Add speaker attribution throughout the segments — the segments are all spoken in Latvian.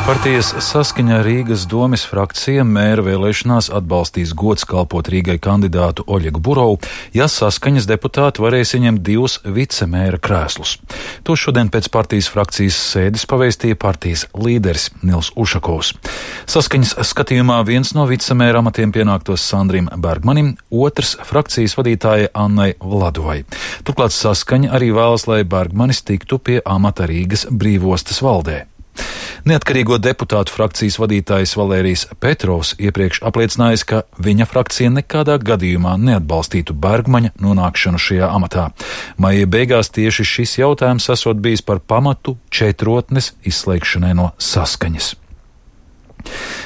Speaker 1: Partijas Saskaņa Rīgas domes frakcija mēra vēlēšanās atbalstīs gods kalpot Rīgai kandidātu Oļegu Burovu, ja Saskaņas deputāti varēs ieņemt 2 vicemēra krēslus. To šodien pēc partijas frakcijas sēdes pavēstīja partijas līderis Nils Ušakovs. Saskaņas skatījumā viens no vicemēra amatiem pienāktos Sandrim Bergmanim, otrs frakcijas vadītājai Annai Vladovai. Turklāt Saskaņa arī vēlas, lai Bergmanis tiktu pie amata Rīgas brīvostas valdē. Neatkarīgo deputātu frakcijas vadītājs Valērijs Petrovs iepriekš apliecinājis, ka viņa frakcija nekādā gadījumā neatbalstītu Bergmaņa nonākšanu šajā amatā. Maija beigās tieši šis jautājums esot bijis par pamatu četrotnes izslēgšanai no Saskaņas.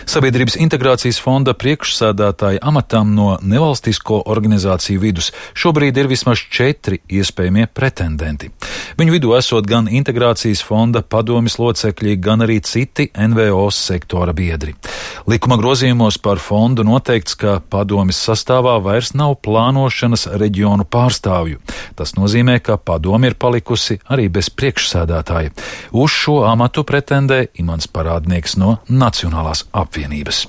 Speaker 1: Sabiedrības integrācijas fonda priekšsēdētāja amatam no nevalstisko organizāciju vidus šobrīd ir vismaz 4 iespējamie pretendenti. Viņu vidū esot gan integrācijas fonda padomes locekļi, gan arī citi NVO sektora biedri. Likuma grozījumos par fondu noteikts, ka padomes sastāvā vairs nav plānošanas reģionu pārstāvju. Tas nozīmē, ka padome ir palikusi arī bez priekšsēdētāja. Uz šo amatu pretendē Imants Parādnieks no Nacionālās apvienības.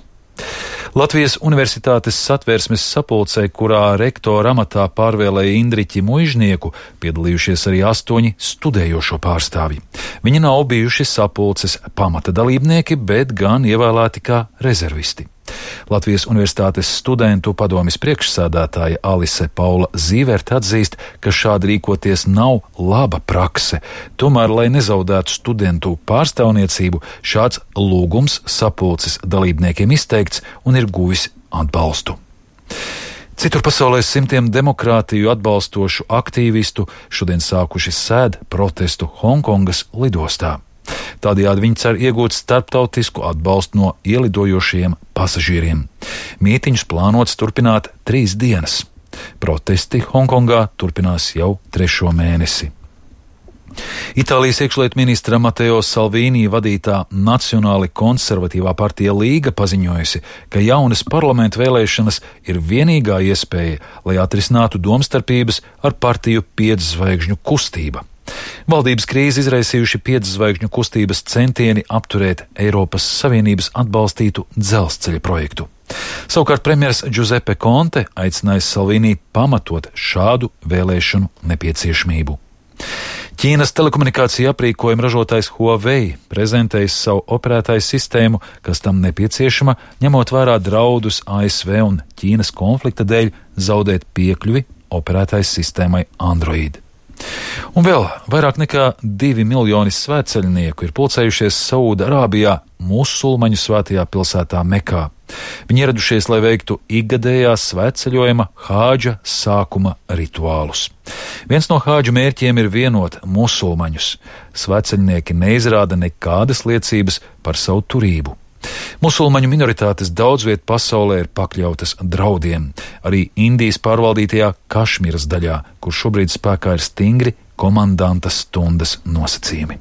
Speaker 1: Latvijas Universitātes Satversmes sapulcē, kurā rektora amatā pārvēlēja Indriķi Muižnieku, piedalījušies arī 8 studējošo pārstāvji. Viņi nav bijuši sapulces pamata dalībnieki, bet gan ievēlēti kā rezervisti. Latvijas Universitātes studentu padomes priekšsēdētāja Alise Paula Zīverte atzīst, ka šādi rīkoties nav laba prakse. Tomēr, lai nezaudētu studentu pārstāvniecību, šāds lūgums sapulces dalībniekiem izteikts un ir guvis atbalstu. Citur pasaulē simtiem demokrātiju atbalstošu aktīvistu šodien sākuši sēd protestu Hongkongas lidostā. Tādējādi viņi cer iegūt starptautisku atbalstu no ielidojošiem pasažieriem. Mītiņus plānots turpināt 3 dienas. Protesti Hongkongā turpinās jau 3. mēnesi. Itālijas iekšlietu ministra Mateo Salvini vadītā Nacionāli konservatīvā partija Līga paziņojusi, ka jaunas parlamenta vēlēšanas ir vienīgā iespēja, lai atrisinātu domstarpības ar partiju 5 zvaigžņu kustība. Valdības krīzi izraisījuši 5 zvaigžņu kustības centieni apturēt Eiropas Savienības atbalstītu dzelzceļa projektu. Savukārt premjers Giuseppe Conte aicinājis Salvini pamatot šādu vēlēšanu nepieciešamību. Ķīnas telekomunikācija aprīkojuma ražotājs Huawei prezentējis savu operētāju sistēmu, kas tam nepieciešama, ņemot vērā draudus ASV un Ķīnas konflikta dēļ zaudēt piekļuvi operētāju sistēmai Android. Un vēl vairāk nekā 2 miljoni svētceļnieku ir pulcējušies Saūda-Arābijā musulmaņu svētajā pilsētā Mekā. Viņi ieradušies, lai veiktu ikgadējās svētceļojuma hādža sākuma rituālus. Viens no hādžu mērķiem ir vienot musulmaņus. Svētceļnieki neizrāda nekādas liecības par savu turību. Musulmaņu minoritātes daudz viet pasaulē ir pakļautas draudiem, arī Indijas pārvaldītajā Kašmīras daļā, kur šobrīd spēkā ir stingri komandanta stundas nosacījumi.